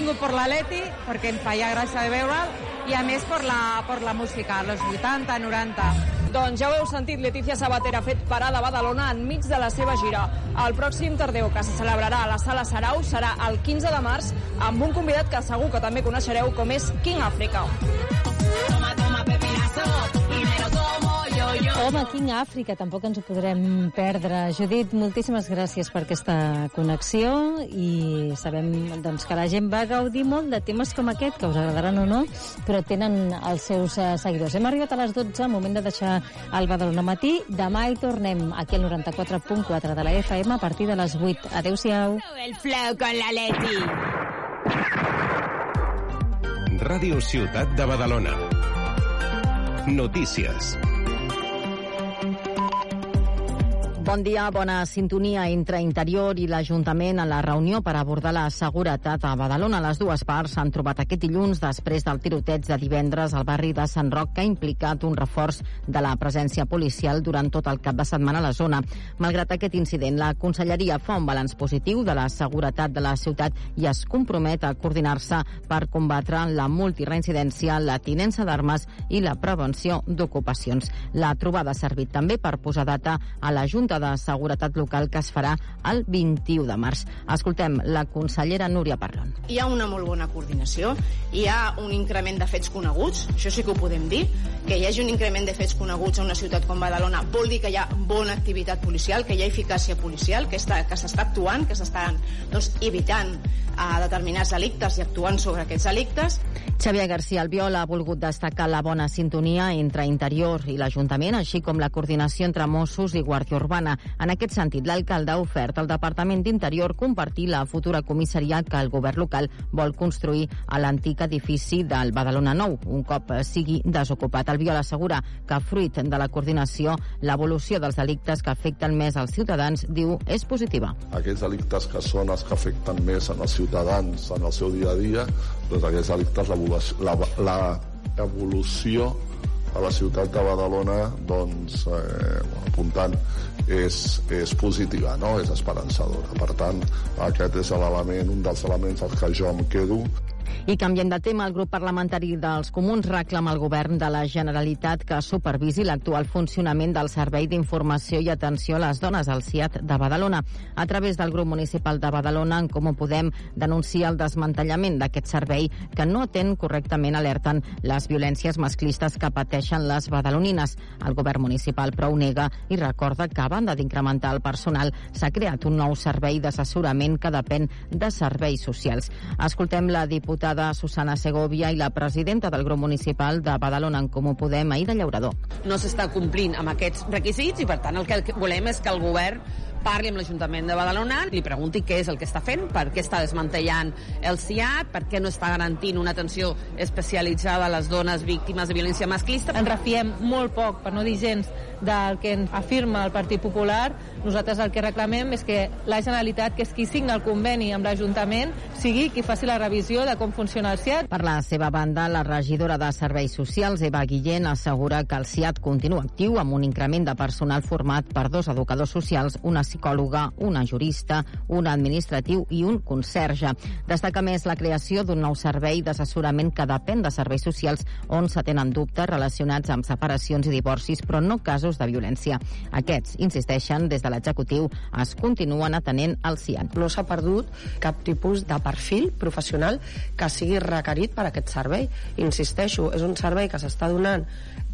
vingut per l'Aleti, perquè em feia gràcia de veure'l, i a més per la música, als 80, 90. Doncs ja ho heu sentit, Letícia Sabater ha fet parada a Badalona enmig de la seva gira. El pròxim Tardeo, que se celebrarà a la Sala Sarau, serà el 15 de març, amb un convidat que segur que també coneixereu, com és King Africa. Home, King Africa, tampoc ens ho podrem perdre. Judit, moltíssimes gràcies per aquesta connexió i sabem doncs, que la gent va gaudir molt de temes com aquest, que us agradaran o no, però tenen els seus seguidors. Hem arribat a les 12, moment de deixar el Badalona Matí. Demà hi tornem aquí al 94.4 de la FM a partir de les 8. Adéu-siau. El flow con la Leti. Ràdio Ciutat de Badalona. Notícies. Bon dia, bona sintonia entre Interior i l'Ajuntament a la reunió per abordar la seguretat a Badalona. Les dues parts s'han trobat aquest dilluns després del tiroteig de divendres al barri de Sant Roc, que ha implicat un reforç de la presència policial durant tot el cap de setmana a la zona. Malgrat aquest incident, la Conselleria fa un balanç positiu de la seguretat de la ciutat i es compromet a coordinar-se per combatre la multireincidència, la tinença d'armes i la prevenció d'ocupacions. La trobada ha servit també per posar data a la Junta de Seguretat Local que es farà el 21 de març. Escoltem la consellera Núria Parlon. Hi ha una molt bona coordinació, hi ha un increment de fets coneguts, això sí que ho podem dir, que hi hagi un increment de fets coneguts a una ciutat com Badalona vol dir que hi ha bona activitat policial, que hi ha eficàcia policial, que s'està actuant, que s'estan evitant determinats delictes i actuant sobre aquests delictes. Xavier García Albiol ha volgut destacar la bona sintonia entre Interior i l'Ajuntament, així com la coordinació entre Mossos i Guàrdia Urbana. En aquest sentit, l'alcalde ha ofert al Departament d'Interior compartir la futura comissaria que el govern local vol construir a l'antic edifici del Badalona Nou, un cop sigui desocupat. Albiol assegura que, fruit de la coordinació, l'evolució dels delictes que afecten més als ciutadans, diu, és positiva. Aquests delictes que són els que afecten més als ciutadans en el seu dia a dia, doncs aquests delictes, l'evolució a la ciutat de Badalona, doncs, apuntant, és positiva, no? És esperançadora. Per tant, aquest és l'element, un dels elements als que jo em quedo. I canviem de tema, el grup parlamentari dels Comuns reclama al govern de la Generalitat que supervisi l'actual funcionament del Servei d'Informació i Atenció a les Dones, el SIAT de Badalona. A través del grup municipal de Badalona, en Comú Podem, denuncia el desmantellament d'aquest servei que no atén correctament, alerten, les violències masclistes que pateixen les badalonines. El govern municipal però ho nega i recorda que, a banda d'incrementar el personal, s'ha creat un nou servei d'assessorament que depèn de serveis socials. Escoltem la diputada Susana Segovia i la presidenta del grup municipal de Badalona en Comú Podem, Aïda Llaurador. No s'està complint amb aquests requisits i, per tant, el que volem és que el govern parli amb l'Ajuntament de Badalona, li pregunti què és el que està fent, per què està desmantellant el SIAT, per què no està garantint una atenció especialitzada a les dones víctimes de violència masclista. Ens refiem molt poc, per no dir gens, del que afirma el Partit Popular. Nosaltres el que reclamem és que la Generalitat, que és qui signa el conveni amb l'Ajuntament, sigui qui faci la revisió de com funciona el SIAT. Per la seva banda, la regidora de Serveis Socials, Eva Guillén, assegura que el SIAT continua actiu amb un increment de personal format per 2 educadors socials, una psicòloga, una jurista, un administratiu i un conserge. Destaca més la creació d'un nou servei d'assessorament que depèn de serveis socials on s'atenen dubtes relacionats amb separacions i divorcis, però no casos de violència. Aquests, insisteixen, des de l'executiu es continuen atenent al SIAT. No s'ha perdut cap tipus de perfil professional que sigui requerit per aquest servei. Insisteixo, és un servei que s'està donant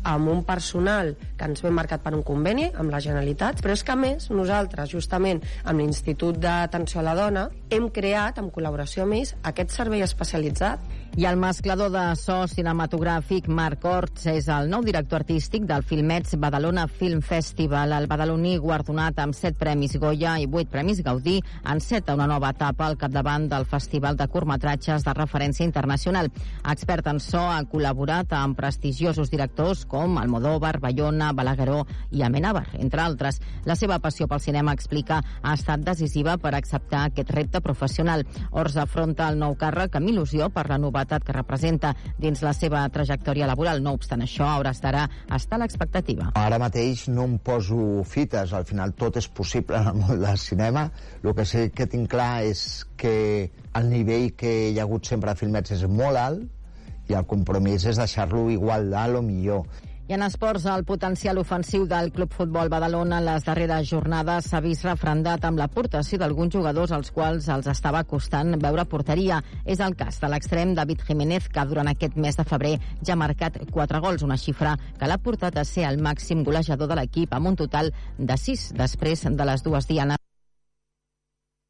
amb un personal que ens ve marcat per un conveni amb la Generalitat, però és que a més nosaltres, justament amb l'Institut d'Atenció a la Dona, hem creat, en col·laboració amb ells, aquest servei especialitzat. I el mesclador de so cinematogràfic Marc Orts és el nou director artístic del Filmets Badalona Film Festival. El badaloní, guardonat amb 7 premis Goya i 8 premis Gaudí, enceta una nova etapa al capdavant del Festival de Curtmetratges de referència internacional. Expert en so, ha col·laborat amb prestigiosos directors com Almodóvar, Bayona, Balagueró i Amenábar, entre altres. La seva passió pel cinema, explica, ha estat decisiva per acceptar aquest repte professional. Ors afronta el nou càrrec amb il·lusió per la novetat que representa dins la seva trajectòria laboral. No obstant això, a hores d'ara està a l'expectativa. Ara mateix no em poso fites, al final tot és possible en el món del cinema. El que sé que tinc clar és que el nivell que hi ha hagut sempre a Filmets és molt alt i el compromís és deixar-lo igual d'alt o millor. I en esports, el potencial ofensiu del Club Futbol Badalona en les darreres jornades s'ha vist refrendat amb l'aportació d'alguns jugadors als quals els estava costant veure porteria. És el cas de l'extrem David Jiménez, que durant aquest mes de febrer ja ha marcat 4 gols, una xifra que l'ha portat a ser el màxim golejador de l'equip amb un total de 6 després de les dues dianes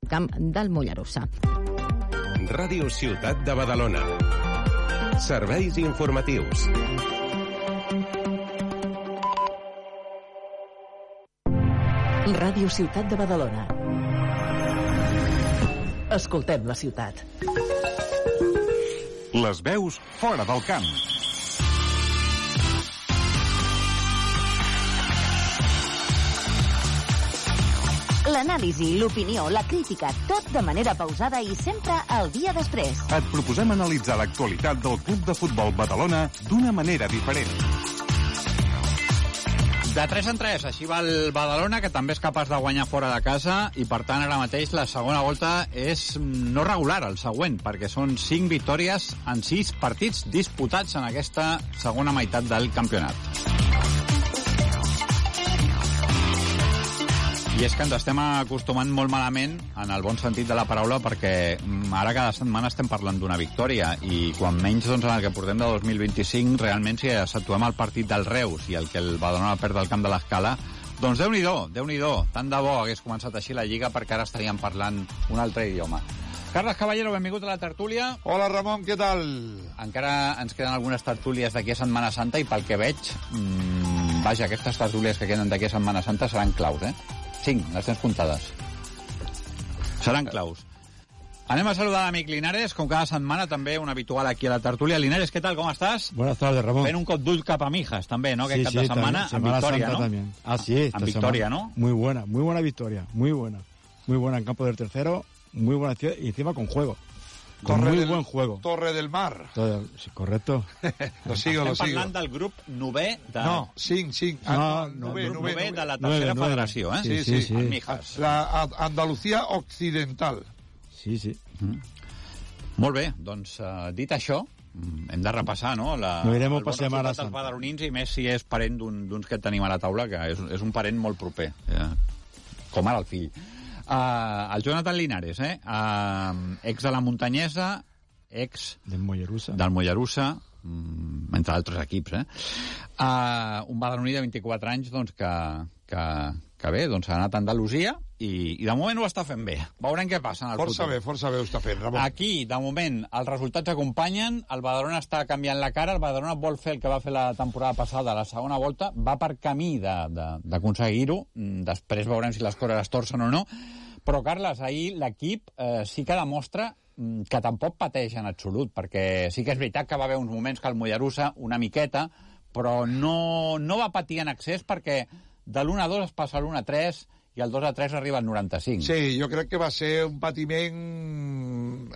al camp del Mollerussa. Ràdio Ciutat de Badalona. Serveis informatius. Ràdio Ciutat de Badalona. Escoltem la ciutat. Les veus fora del camp. L'anàlisi, l'opinió, la crítica, tot de manera pausada i sempre al dia després. Et proposem analitzar l'actualitat del Club de Futbol Badalona d'una manera diferent. De 3 en 3, així va el Badalona, que també és capaç de guanyar fora de casa, i per tant ara mateix la segona volta és no regular, el següent, perquè són 5 victòries en 6 partits disputats en aquesta segona meitat del campionat. I és que ens estem acostumant molt malament, en el bon sentit de la paraula, perquè ara cada setmana estem parlant d'una victòria, i quan menys doncs, en el que portem de 2025, realment si situem el partit del Reus i el que el Badalona perd del camp de l'Escala, doncs Déu-n'hi-do, tant de bo hagués començat així la Lliga, perquè ara estaríem parlant un altre idioma. Carles Caballero, benvingut a la tertúlia. Hola, Ramon, què tal? Encara ens queden algunes tertúlies d'aquí a Setmana Santa i pel que veig, vaja, aquestes tertúlies que queden d'aquí a Setmana Santa seran claus, 5, les tens comptades. Seran claus. Anem a saludar l'amic Linares, com cada setmana, també un habitual aquí a la tertúlia. Linares, ¿qué tal? ¿Cómo estás? Buenas tardes, Ramón. Fent un cop d'ull cap a Mijas, també, ¿no? Sí, Aquest cap de setmana, amb victòria, Santa ¿no? También. Así es. Amb victòria, ¿no? Muy buena victoria, muy buena. Muy buena en campo del tercero, muy buena acción y encima con juego. Con muy buen juego. Torre del Mar. Sí, correcto. Lo sigo. Estem parlant del grup 9 de... No, 5. Nové de la tercera federació, Sí. En Mijas. La Andalucía Occidental. Sí. Molt bé, doncs, dit això, hem de repassar, no? No irem per Setmana Santa. Els badalonins, i més si és parent d'uns que tenim a la taula, que és un parent molt proper, com ara el fill. El Jonathan Linares, ex de la Muntanyesa, ex del Mollerussa, entre altres equips, un badaloní de 24 anys doncs, que bé, doncs ha anat a Andalusia i de moment ho està fent bé. Veurem què passa en el futur. Força bé ho està fent, Ramon. Aquí, de moment, els resultats acompanyen, el Badalona està canviant la cara, el Badalona vol fer el que va fer la temporada passada, la segona volta, va per camí d'aconseguir-ho, després veurem si les coses es torcen o no, però, Carles, ahir l'equip sí que demostra que tampoc pateix en absolut, perquè sí que és veritat que va haver uns moments que el Mollerussa, una miqueta, però no va patir en excés perquè de l'1-2 es passa a l'1-3 i el 2-3 arriba al 95. Sí, jo crec que va ser un patiment,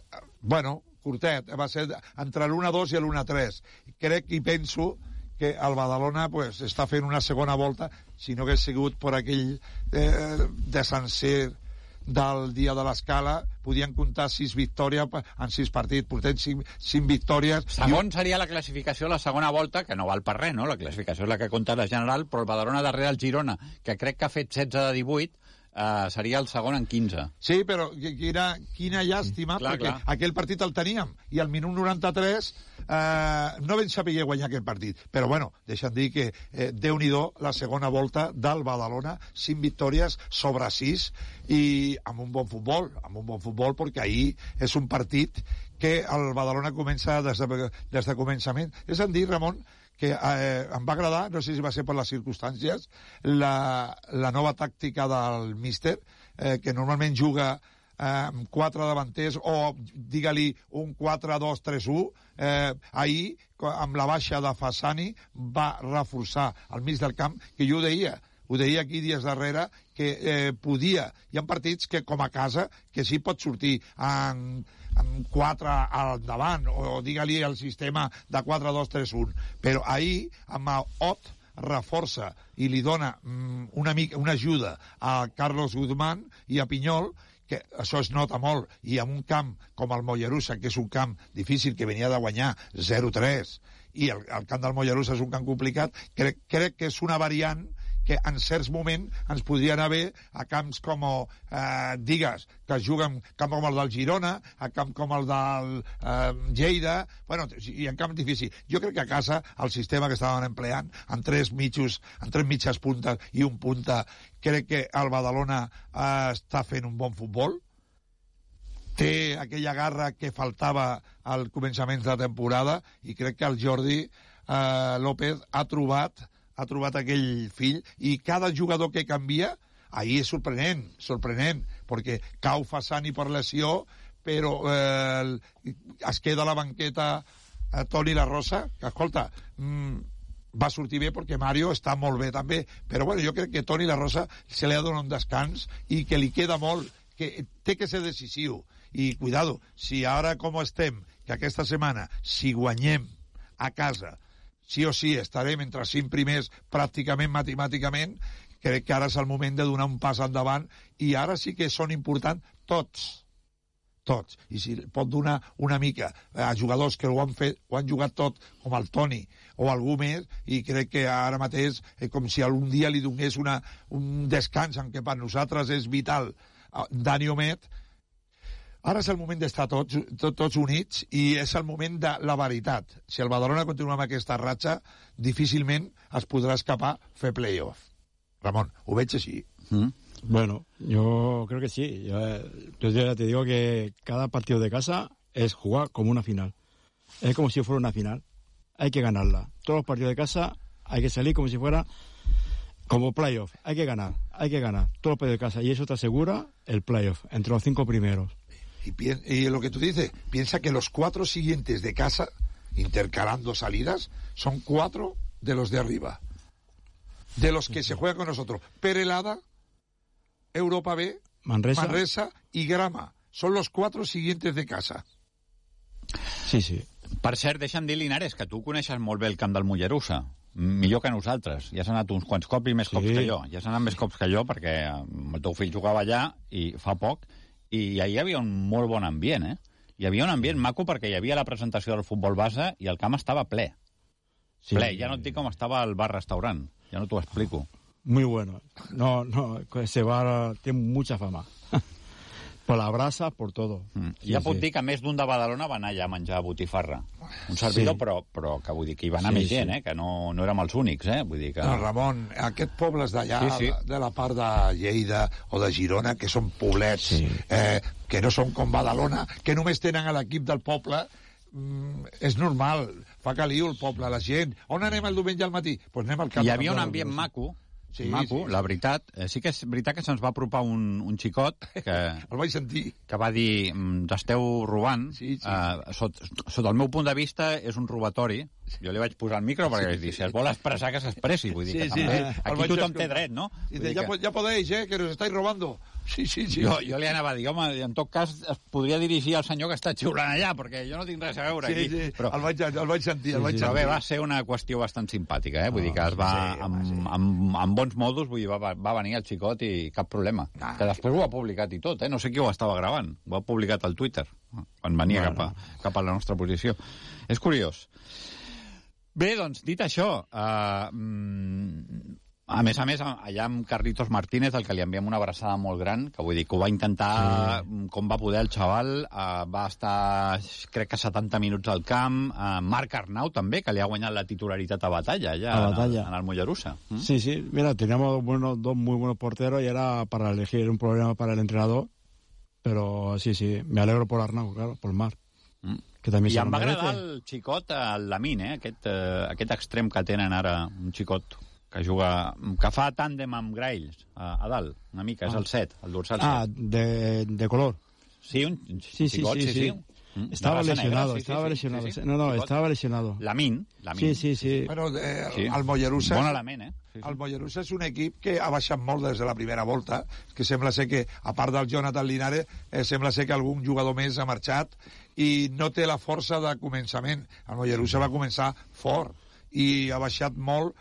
curtet, va ser entre l'1-2 i l'1-3. Crec i penso que el Badalona està fent una segona volta, si no hagués sigut per aquell desencer del dia de l'Escala, podien comptar 6 victòries en 6 partits, portem 5 victòries. Segon seria la classificació la segona volta, que no val per res, no? La classificació és la que compta la general, però el Badalona darrere el Girona, que crec que ha fet 16 de 18, seria el segon en 15. Sí, però quina llàstima, perquè aquell partit el teníem, i al minut 93 no vam saber guanyar aquest partit. Però, deixa'm dir que Déu-n'hi-do la segona volta del Badalona, 5 victòries sobre 6, i amb un bon futbol, perquè ahir és un partit que el Badalona comença des de començament. És a dir, Ramon, que em va agradar, no sé si va ser per les circumstàncies, la nova tàctica del míster, que normalment juga 4 davanters, o digue-li un 4-2-3-1, ahir, amb la baixa de Fassani, va reforçar al mig del camp, que jo ho deia aquí dies darrere, que podia. Hi ha partits que, com a casa, que sí pot sortir amb 4 al davant, o digue-li el sistema de 4-2-3-1. Però ahir, amb Ot, reforça i li dona una ajuda a Carlos Guzmán i a Pinyol, que això es nota molt, i en un camp com el Mollerussa, que és un camp difícil, que venia de guanyar 0-3, i el camp del Mollerussa és un camp complicat, crec que és una variant que en certs moments ens podria anar bé a camps com, digues, que es juguen camp com el del Girona, a camp com el del Lleida, bueno, i en camp difícil. Jo crec que a casa el sistema que estaven empleant, amb tres mitges puntes i un punta, crec que el Badalona està fent un bon futbol, té aquella garra que faltava al començament de la temporada, i crec que el Jordi López ha trobat aquell fill, i cada jugador que canvia, ahir és sorprenent, perquè cau Fassani per lesió, però es queda a la banqueta Toni La Rosa, que, escolta, va sortir bé perquè Mario està molt bé també, però bueno, jo crec que Toni La Rosa se li ha donat un descans i que li queda molt, que té que ser decisiu, i cuidado, si ara com estem, que aquesta setmana, si guanyem a casa, sí o sí estarem entre els 5 primers pràcticament matemàticament, crec que ara és el moment de donar un pas endavant, i ara sí que són importants tots, i si pot donar una mica a jugadors que ho han jugat tot, com el Toni o algú més, i crec que ara mateix com si algun dia li donés un descans, en què per nosaltres és vital Dani Omet. Ara és el moment d'estar tots units, i és el moment de la veritat. Si el Badalona continua amb aquesta ratxa, difícilment es podrà escapar fer playoff. Ramon, ho veig així. Bueno, yo creo que sí. Yo ya te digo que cada partido de casa es jugar como una final. Es como si fuera una final. Hay que ganarla. Todos los partidos de casa hay que salir como si fuera como playoff. Hay que ganar. Todos los partidos de casa. Y eso te asegura el playoff entre los 5 primeros. Y lo que tú dices, piensa que los 4 siguientes de casa, intercalando salidas, son 4 de los de arriba. De los que se juegan con nosotros. Perelada, Europa B, Manresa y Grama. Son los 4 siguientes de casa. Sí. Per cert, deixa'm dir, Linares, que tu coneixes molt bé el camp del Mollerussa. Millor que nosaltres. Ja s'ha anat uns quants cops i més cops que jo. Ja s'ha anat més cops que jo, perquè el teu fill jugava allà i fa poc, i ahir hi havia un molt bon ambient, Hi havia un ambient maco perquè hi havia la presentació del futbol base i el camp estava ple. Sí. Ple, ja no et dic com estava el bar-restaurant. Ja no t'ho explico. Muy bueno. No, ese bar tiene mucha fama. Por la brasa, por todo. Ja puc dir que més d'un de Badalona va anar allà a menjar botifarra. Un servidor, però que vull dir que hi va anar més gent, que no érem els únics, vull dir que... No, Ramon, aquests pobles d'allà, de la part de Lleida o de Girona, que són poblets, que no són com Badalona, que només tenen a l'equip del poble, és normal, fa caliu el poble, la gent. On anem el diumenge al matí? Pues anem al camp. Hi havia un ambient maco, la veritat. Sí que és veritat que se'ns va apropar un xicot que... El vaig sentir. Que va dir, t'esteu robant. Sota el meu punt de vista és un robatori. Jo li vaig posar el micro perquè vaig dir, si es vol expressar, que s'expressi. Vull dir que també aquí tothom té dret, no? Ja podeu, que nos estáis robando. Sí. Jo li anava a dir, home, en tot cas es podria dirigir al senyor que està xiulant allà, perquè jo no tinc res a veure aquí. Però el vaig sentir. Però bé, va ser una qüestió bastant simpàtica, vull dir que es va, amb bons modos, vull dir, va venir el xicot i cap problema. Que després ho ha publicat i tot, no sé qui ho estava gravant. Ho ha publicat al Twitter, quan venia cap a la nostra posició. És curiós. Bé, doncs, dit això, a més, allà amb Carlitos Martínez, el que li enviem una abraçada molt gran, que vull dir que ho va intentar com va poder el xaval, va estar, crec que 70 minuts al camp, Marc Arnau també, que li ha guanyat la titularitat a Batalla, allà en el Mollerussa. Sí, mira, teníamos dos muy buenos porteros y era para elegir un problema para el entrenador, pero sí, me alegro por Arnau, claro, por Marc. I em va agradar el xicot, el Lamin, aquest extrem que tenen ara, un xicot que fa tàndem amb Graells a dalt, una mica, és el 7, el dorsal 7. Ah, de color. Sí, un xicot, sí. Estaba lesionado, estaba lesionado. No, estaba lesionado. Lamin. Sí. Bueno, el Mollerussa... Bon element, El Mollerussa és un equip que ha baixat molt des de la primera volta, que sembla ser que, a part del Jonathan Linares, sembla ser que algun jugador més ha marxat i no té la força de començament. El Mollerussa va començar fort i ha baixat molt.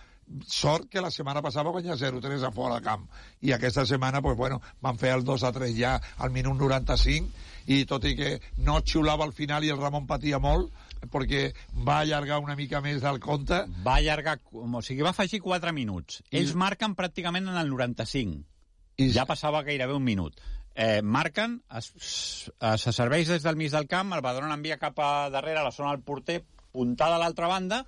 Sort que la setmana passada va guanyar 0-3 a fora de camp i aquesta setmana van fer el 2-3 ja al minut 95 i tot i que no xiulava al final i el Ramon patia molt perquè va allargar una mica més del compte. Va allargar, o sigui, va afegir 4 minuts. Ells marquen pràcticament en el 95. Ja passava gairebé un minut. Marquen, se serveix des del mig del camp, el Badalona envia cap a darrere a la zona del porter, puntada a l'altra banda,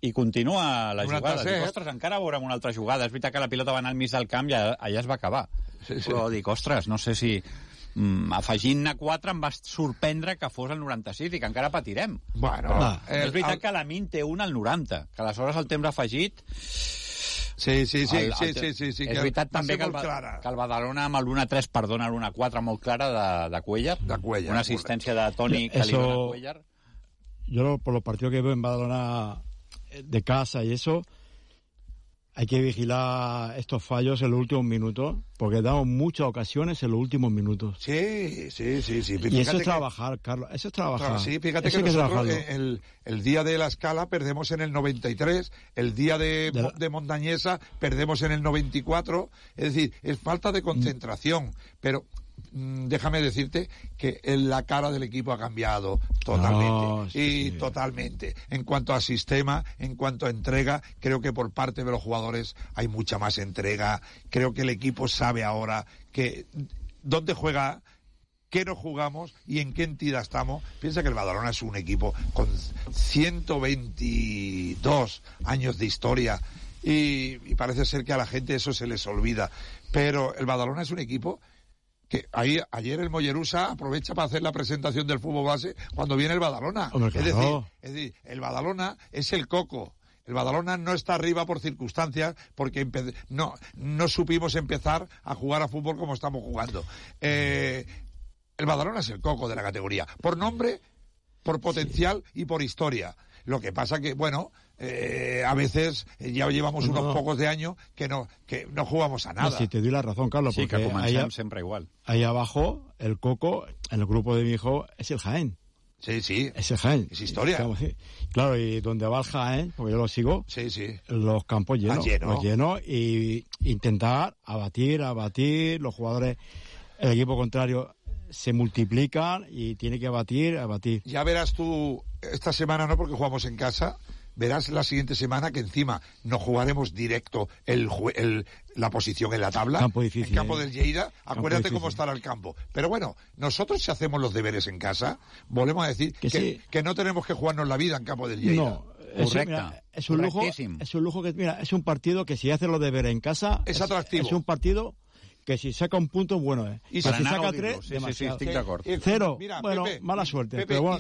i continua la jugada. Dic, ostres, encara veurem una altra jugada. És veritat que la pilota va anar al mig del camp i allà es va acabar. Però dic, ostres, no sé si... afegint-ne 4 em va sorprendre que fos el 96 i que encara patirem. És veritat que la Min té un al 90, que aleshores el temps afegit... Sí. És veritat també que el Badalona amb l'1-3 perdona l'1-4 molt clara de Cuellar. Una assistència de Toni que li dona a Cuellar. Yo por los partidos que veo en Badalona de casa y eso, hay que vigilar estos fallos en los últimos minutos, porque damos muchas ocasiones en los últimos minutos. Sí. Y eso es trabajar, Carlos, eso es trabajar. Sí, fíjate que nosotros el día de la Escala perdemos en el 93, el día de Montañesa perdemos en el 94, es decir, es falta de concentración, pero... déjame decirte que la cara del equipo ha cambiado totalmente. Totalmente. En cuanto a sistema, en cuanto a entrega, creo que por parte de los jugadores hay mucha más entrega. Creo que el equipo sabe ahora que dónde juega, qué no jugamos y en qué entidad estamos. Piensa que el Badalona es un equipo con 122 años de historia y parece ser que a la gente eso se les olvida. Pero el Badalona es un equipo que ayer el Mollerussa aprovecha para hacer la presentación del fútbol base cuando viene el Badalona. Es decir, el Badalona es el coco. El Badalona no está arriba por circunstancias, porque no supimos empezar a jugar a fútbol como estamos jugando. El Badalona es el coco de la categoría, por nombre, por potencial y por historia. Lo que pasa que, a veces ya llevamos unos pocos de años que no jugamos a nada. No, sí, te doy la razón, Carlos, porque que comencem sempre igual. Ahí abajo, el coco, en el grupo de mi hijo, es el Jaén. Sí. Es el Jaén. Es historia. Claro, y donde va el Jaén, porque yo lo sigo, los campos llenos. Los llenos y intentar abatir, los jugadores, el equipo contrario se multiplican y tiene que abatir. Ya verás tú, esta semana no, porque jugamos en casa, verás la siguiente semana que encima no jugaremos directo la posición en la tabla. Campo difícil, en campo del Lleida, acuérdate cómo estará el campo. Pero nosotros si hacemos los deberes en casa, volvemos a decir que no tenemos que jugarnos la vida en campo del Lleida. No. Es un lujo que, es un partido que si haces los deberes en casa es atractivo. Es un partido que si saca un punto, bueno, y si saca 3, demasiado. Sí, estic d'acord. 0, Pepe, mala suerte. Pepe, pero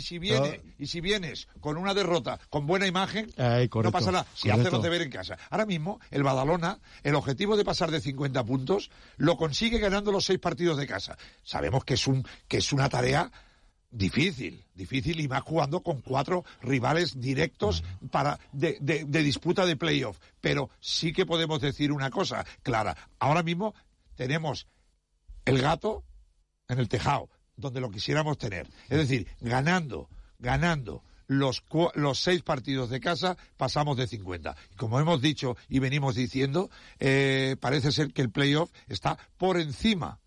y si vienes con una derrota, con buena imagen, correcto, no pasa nada. Si haces los deberes en casa. Ahora mismo, el Badalona, el objetivo de pasar de 50 puntos, lo consigue ganando los 6 partidos de casa. Sabemos que es una tarea difícil y más jugando con 4 rivales directos de disputa de playoff. Pero sí que podemos decir una cosa clara. Ahora mismo tenemos el gato en el tejado, donde lo quisiéramos tener. Es decir, ganando los 6 partidos de casa, pasamos de 50. Y como hemos dicho y venimos diciendo, parece ser que el playoff está por encima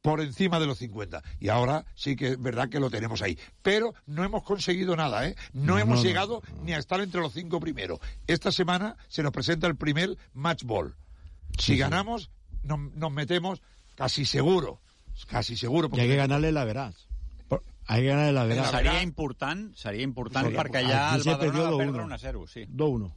de los 50. Y ahora sí que es verdad que lo tenemos ahí. Pero no hemos conseguido nada, No hemos llegado ni a estar entre los 5 primeros. Esta semana se nos presenta el primer match ball. Si ganamos, nos metemos casi seguro. Y hay que ganarle la verás. Seria important perquè ja el Badalona va perdre 1-0. Sí. 2-1.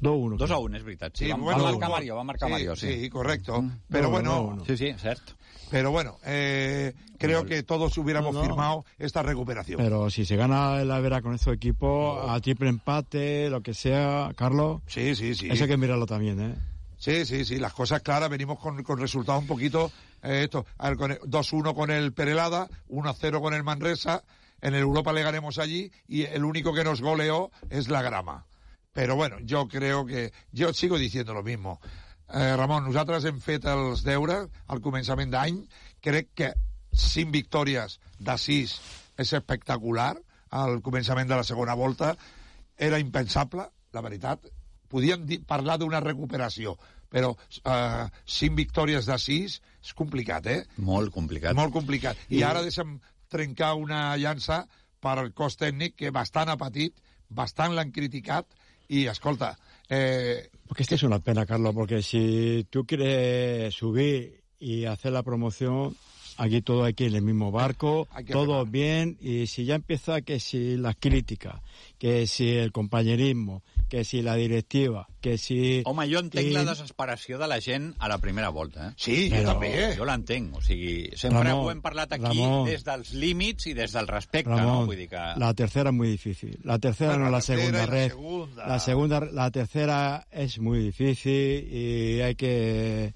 2-1. 2-1, és veritat. Sí, Sí, va bueno, marcar Mario, Mario, sí. Sí, correcto. Pero bueno... Sí, cierto. Pero bueno, creo que todos hubiéramos firmado esta recuperación. Pero si se gana el Avera con estos equipos, a triple empate, lo que sea, Carlos... Sí. Eso hay que mirarlo también, ¿eh? Sí, las cosas claras, venimos con resultados un poquito... A ver, 2-1 con el Perelada, 1-0 con el Manresa, en el Europa le ganemos allí, y el único que nos goleó es la Grama. Però bueno, jo crec que... Jo sigo diciendo lo mismo. Ramon, nosaltres hem fet els deures al començament d'any. Crec que 5 victòries de 6 és espectacular. Al començament de la segona volta era impensable, la veritat. Podíem parlar d'una recuperació, però 5 victòries de 6 és complicat, eh? Molt complicat. Molt complicat. I ara deixem trencar una llança per al cos tècnic que bastant ha patit, bastant l'han criticat, y escolta... Porque esto es una pena, Carlos, porque si tú quieres subir y hacer la promoción, aquí todo hay que ir en el mismo barco, todo bien, y si ya empieza que si las críticas, que si el compañerismo, que si la directiva, que si... Home, jo entenc la desesperació de la gent a la primera volta, eh? Sí, jo també. Jo l'entenc, o sigui, sempre ho hem parlat aquí des dels límits i des del respecte, Ramon, no? Vull dir que... La tercera es muy difícil. La tercera no es la segunda red. La tercera es muy difícil y hay que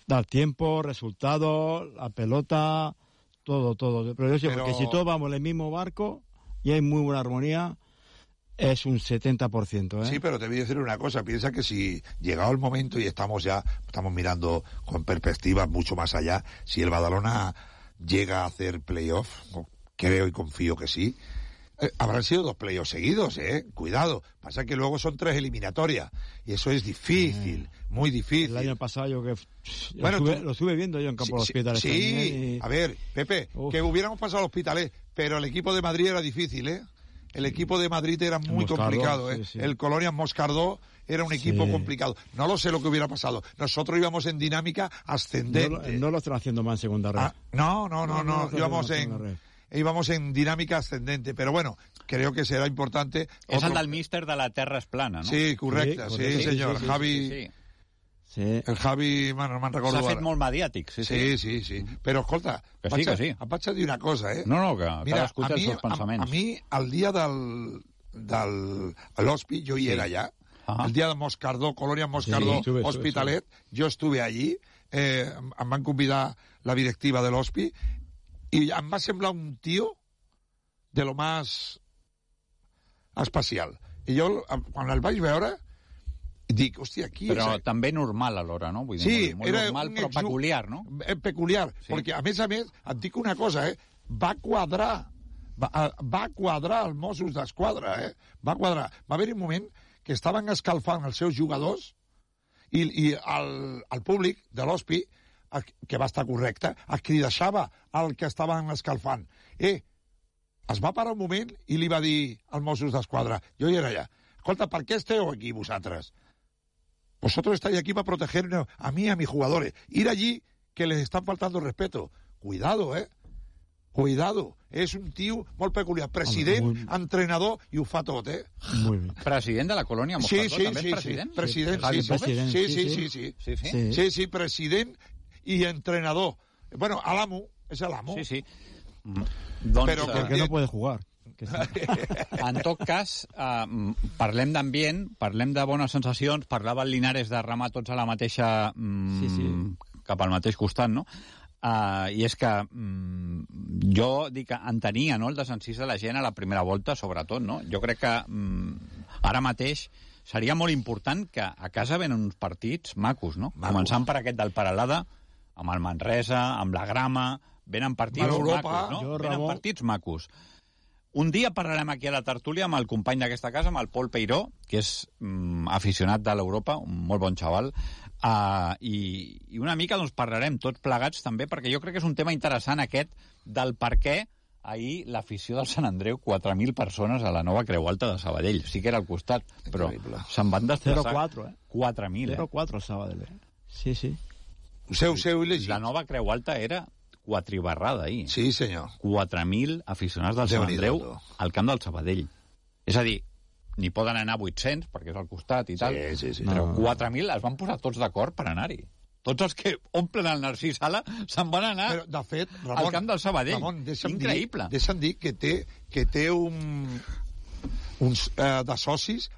dar tiempo, resultados, la pelota, todo. Pero yo sé, porque si todos vamos en el mismo barco y hay muy buena armonía, es un 70%, ¿eh? Sí, pero te voy a decir una cosa. Piensa que si llegado el momento y estamos mirando con perspectivas mucho más allá, si el Badalona llega a hacer playoff, creo y confío que sí, habrán sido 2 playoffs seguidos, cuidado. Pasa que luego son 3 eliminatorias y eso es difícil, muy difícil. El año pasado yo que lo estuve viendo yo en Campo de Hospitalet. Sí, a ver, Pepe, que hubiéramos pasado al Hospitalet, pero el equipo de Madrid era difícil, ¿eh? El equipo de Madrid era muy complicado, ¿eh? Sí. El Colonia Moscardó era un equipo complicado. No lo sé lo que hubiera pasado. Nosotros íbamos en dinámica ascendente. No lo están haciendo más en segunda red. No. Íbamos en dinámica ascendente. Pero bueno, creo que será importante... És el del míster de la Terra es plana, no? Sí, correcte. Sí, senyor. Sí, Javi... Sí. El Javi, no me'n recordo. S'ha fet molt mediàtic, sí. Però, escolta, em vaig a dir una cosa, eh? No, que cadascú té els seus pensaments. A mi, el dia del l'Hospi, jo hi era allà. El dia de Moscardó, Colonia Moscardó, Hospitalet, jo estuve allí, em van convidar la directiva de l'Hospi, i em va semblar un tio de lo más especial. I jo, quan el vaig veure, dic, hòstia, aquí... Però també normal alhora, no? Vull dir, sí, molt normal, però peculiar, no? Peculiar, perquè a més, et dic una cosa, va quadrar els Mossos d'Esquadra, va quadrar. Va haver-hi un moment que estaven escalfant els seus jugadors i el públic de l'Hospi, que va estar correcte, crideixava al que estaven escalfant. Es va parar un moment i li va dir als Mossos d'Esquadra, jo hi era allà, escolta, per què esteu aquí vosaltres? Vosotros estáis aquí para protegernos a mí y a mis jugadores. Ir allí que les están faltando respeto. Cuidado, Cuidado. És un tio molt peculiar. President, entrenador, i ho fa tot, Muy bien. President de la colònia Moscardó, també és president? Sí, president i entrenador. Bueno, a l'amo, és l'amo. Sí. Però que no puede jugar. En tot cas, parlem d'ambient, parlem de bones sensacions, parlava el Linares de remar tots a la mateixa... cap al mateix costat, no? I és que jo dic que entenia, no?, el desencís de la gent a la primera volta, sobretot, no? Jo crec que ara mateix seria molt important que a casa venen uns partits macos, no? Començant per aquest del Peralada, amb el Manresa, amb la Grama, venen partits macos, no? Venen partits macos. Un dia parlarem aquí a la tertúlia amb el company d'aquesta casa, amb el Pol Peiró, que és aficionat de l'Europa, un molt bon xaval, i una mica doncs, parlarem tots plegats també, perquè jo crec que és un tema interessant aquest del per què ahir l'afició del Sant Andreu, 4.000 persones a la nova Creu Alta de Sabadell. Sí que era al costat, però se'n van desplaçar 4.000. 0-4 a Sabadell. Sí. Seu il·legit. La nova Creu Alta era quatribarrada ahir. Sí, senyor. 4.000 aficionats del Sant Andreu al camp del Sabadell. És a dir, n'hi poden anar 800, perquè és al costat i tal, sí. però 4.000 es van posar tots d'acord per anar-hi. Tots els que omplen el Narcís Sala se'n van anar però, de fet, Ramon, al camp del Sabadell. Ramon, increïble. Deixa'm dir que té uns de socis,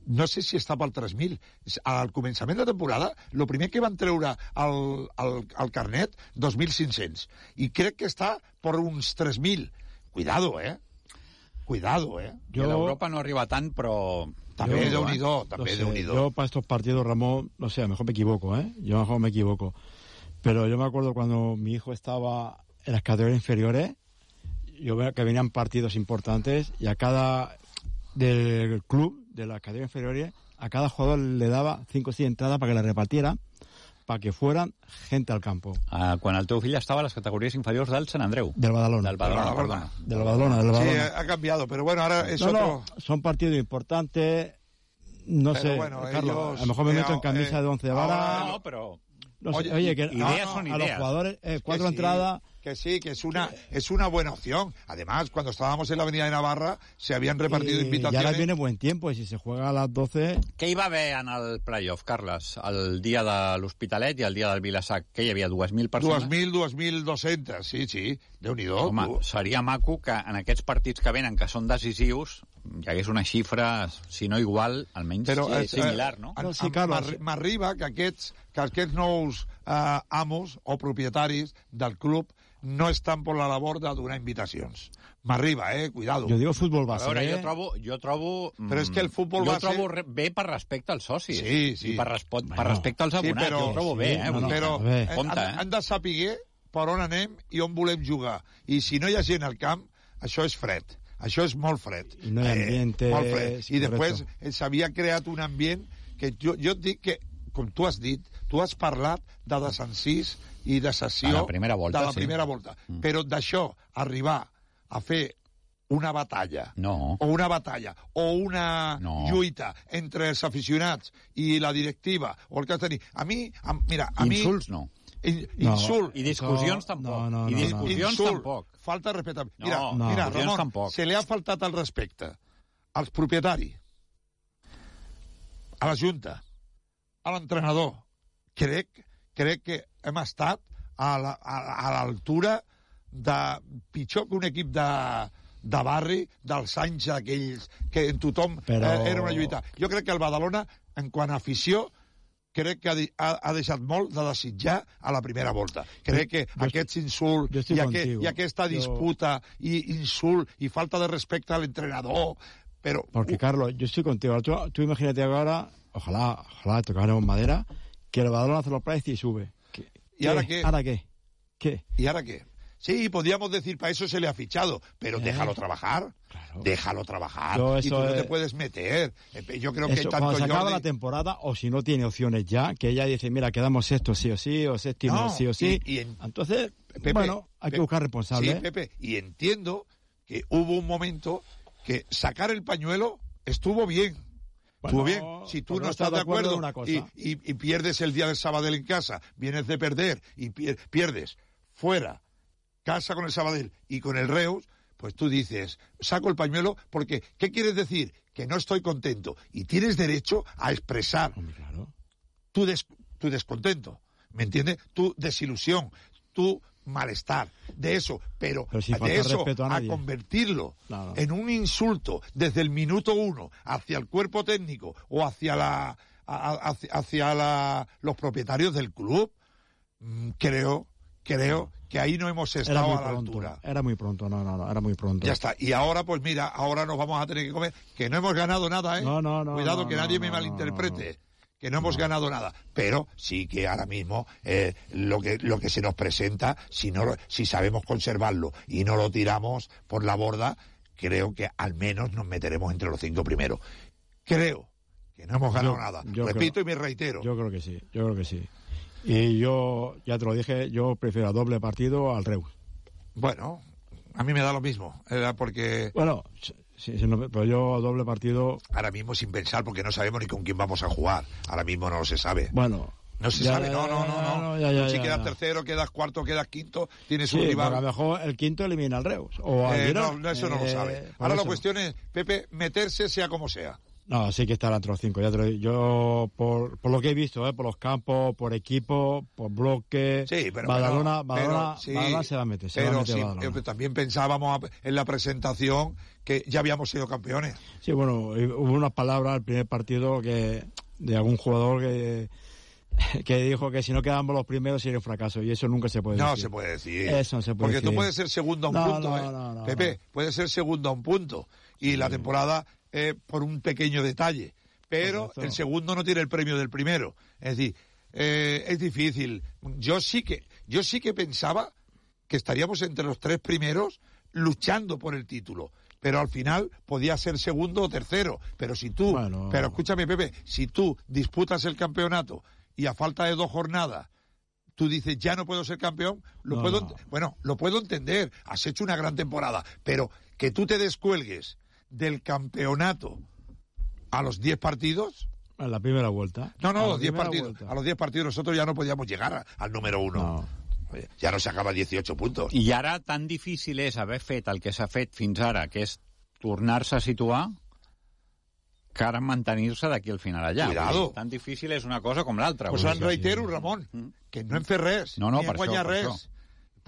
no sé si està pel 3.000. Al començament de temporada, el primer que van treure el carnet, 2.500. I crec que està per uns 3.000. Cuidado, Cuidado, Yo... A Europa no arriba tant, però... També Déu-n'hi-do, també Déu-n'hi-do. Yo para estos partidos, Ramón, no sé, a lo mejor me equivoco, Yo a lo mejor me equivoco. Pero yo me acuerdo cuando mi hijo estaba en las categorías inferiores, yo veo que venían partidos importantes y a cada del club, de las categorías inferiores, a cada jugador le daba 5 o 6 entradas para que la repartiera, para que fueran gente al campo. Quan el teu fill estava a les categories inferiors del Sant Andreu. Del Badalona. Del Badalona, perdona. Del Badalona. Sí, ha cambiado, pero bueno, ahora es otro... Son partidos importantes, no pero sé, bueno, Carlos, ellos, a lo mejor me meto en camisa de 11 varas. No, pero... No sé, oye, que ideas son ideas. A los jugadores, 4 entradas... Que sí, que es una buena opción. Además, cuando estábamos en la Avenida de Navarra, se habían repartido invitaciones... Y ahora viene buen tiempo, y si se juega a las 12... Què hi va haver en el playoff, Carles? El dia de l'Hospitalet i el dia del Vilasac. Què hi havia, 2.000 persones? 2.200, sí. Déu-n'hi-do. Home, seria maco que en aquests partits que venen, que són decisius, hi hagués una xifra, si no igual, almenys similar, no? M'arriba que aquests nous amos o propietaris del club no estan per la labor de donar invitacions. M'arriba, cuidado. Jo digo futbol base. A veure, jo trobo... Però és que el futbol base... Jo trobo bé per respecte als socis. Sí. I per respecte als abonats. Jo ho trobo bé, Però han de saber per on anem i on volem jugar. I si no hi ha gent al camp, això és fred. Això és molt fred. I no hi ha ambiente... Molt fred. I després s'havia creat un ambient que jo et dic que, com tu has dit, tu has parlat de desencís i de sessió de la primera volta. Però d'això, arribar a fer una batalla o una lluita entre els aficionats i la directiva o el que has de dir. Insults no. Insult. I discussions tampoc. I discussions tampoc. Falta de respecte. Mira, Ramon, se li ha faltat el respecte als propietaris, a la Junta, a l'entrenador. Crec que hem estat a l'altura de pitjor que un equip de barri dels anys aquells que en tothom era una lluita. Jo crec que el Badalona, en quant a afició, crec que ha deixat molt de desitjar a la primera volta. Crec que aquests insults i aquesta disputa i insult i falta de respecte a l'entrenador... Porque, Carlos, yo estoy contigo. Tú imagínate ahora, ojalá tocáramos madera, que el Badalona hace los plays y sube. ¿Y ahora qué? ¿Ahora qué? ¿Qué? ¿Y ahora qué? Sí, podríamos decir, para eso se le ha fichado, pero déjalo trabajar. Claro. Déjalo trabajar. Y tú no te puedes meter. Yo creo que tanto cuando se acaba la temporada, o si no tiene opciones ya, que ella dice, mira, quedamos sexto sí o sí, o séptimo sí o sí. Entonces, Pepe, hay que buscar responsables. Sí, Pepe, y entiendo que hubo un momento que sacar el pañuelo estuvo bien. Estuvo bien. Si tú no estás de acuerdo y pierdes el día del Sabadell en casa, vienes de perder y pierdes fuera, casa con el Sabadell y con el Reus, pues tú dices, saco el pañuelo porque, ¿qué quieres decir? Que no estoy contento. Y tienes derecho a expresar tu descontento, ¿me entiendes? Tu desilusión, tu malestar de eso, pero si de eso a convertirlo en un insulto desde el minuto 1 hacia el cuerpo técnico o hacia los propietarios del club, creo que ahí no hemos estado a la altura. Era muy pronto, era muy pronto. Ya está. Y ahora, pues mira, ahora nos vamos a tener que comer, que no hemos ganado nada, ¿eh? Cuidado que nadie me malinterprete. Que no hemos ganado nada, pero sí que ahora mismo lo que se nos presenta, si sabemos conservarlo y no lo tiramos por la borda, creo que al menos nos meteremos entre los 5 primeros. Creo que no hemos ganado nada. Repito y me reitero. Yo creo que sí. Y yo, ya te lo dije, yo prefiero a doble partido al Reus. Bueno, a mí me da lo mismo, porque... Bueno... Sí, pero yo a doble partido... Ahora mismo sin pensar, porque no sabemos ni con quién vamos a jugar. Ahora mismo no se sabe. Bueno, No se sabe, no. Si quedas tercero, quedas cuarto, quedas quinto, tienes un rival. A lo mejor el quinto elimina al Reus. O al Girona. No, eso no lo sabe. Ahora la cuestión es, Pepe, meterse sea como sea. No, sí que estará entre los 5. Ya te lo digo. Yo, por lo que he visto, por los campos, por equipo, por bloque, sí, pero Badalona se va a meter. Pero también pensábamos en la presentación que ya habíamos sido campeones. Sí, bueno, hubo unas palabras al primer partido de algún jugador que dijo que si no quedamos los primeros sería un fracaso, y eso nunca se puede decir. No se puede decir. Eso no se puede decir. Porque tú puedes ser segundo a un punto, Pepe, puedes ser segundo a un punto, y la temporada por un pequeño detalle, pero el segundo no tiene el premio del primero. Es decir, es difícil. Yo sí que pensaba que estaríamos entre los 3 primeros luchando por el título, pero al final podía ser segundo o tercero. Pero si tú, pero escúchame, Pepe, si tú disputas el campeonato y a falta de 2 jornadas tú dices, ya no puedo ser campeón, lo puedo entender, has hecho una gran temporada, pero que tú te descuelgues del campeonato a los 10 partidos... A la primera vuelta. No, a los 10 partidos. A los 10 partidos nosotros ya no podíamos llegar al número 1. No. Ja no s'acaba 18 puntos. I ara tan difícil és haver fet el que s'ha fet fins ara, que és tornar-se a situar, que ara mantenir-se d'aquí al final allà. Cuidado. Tan difícil és una cosa com l'altra. Pues en reitero, Ramon, que no hem fet res, ni hem guanyat res.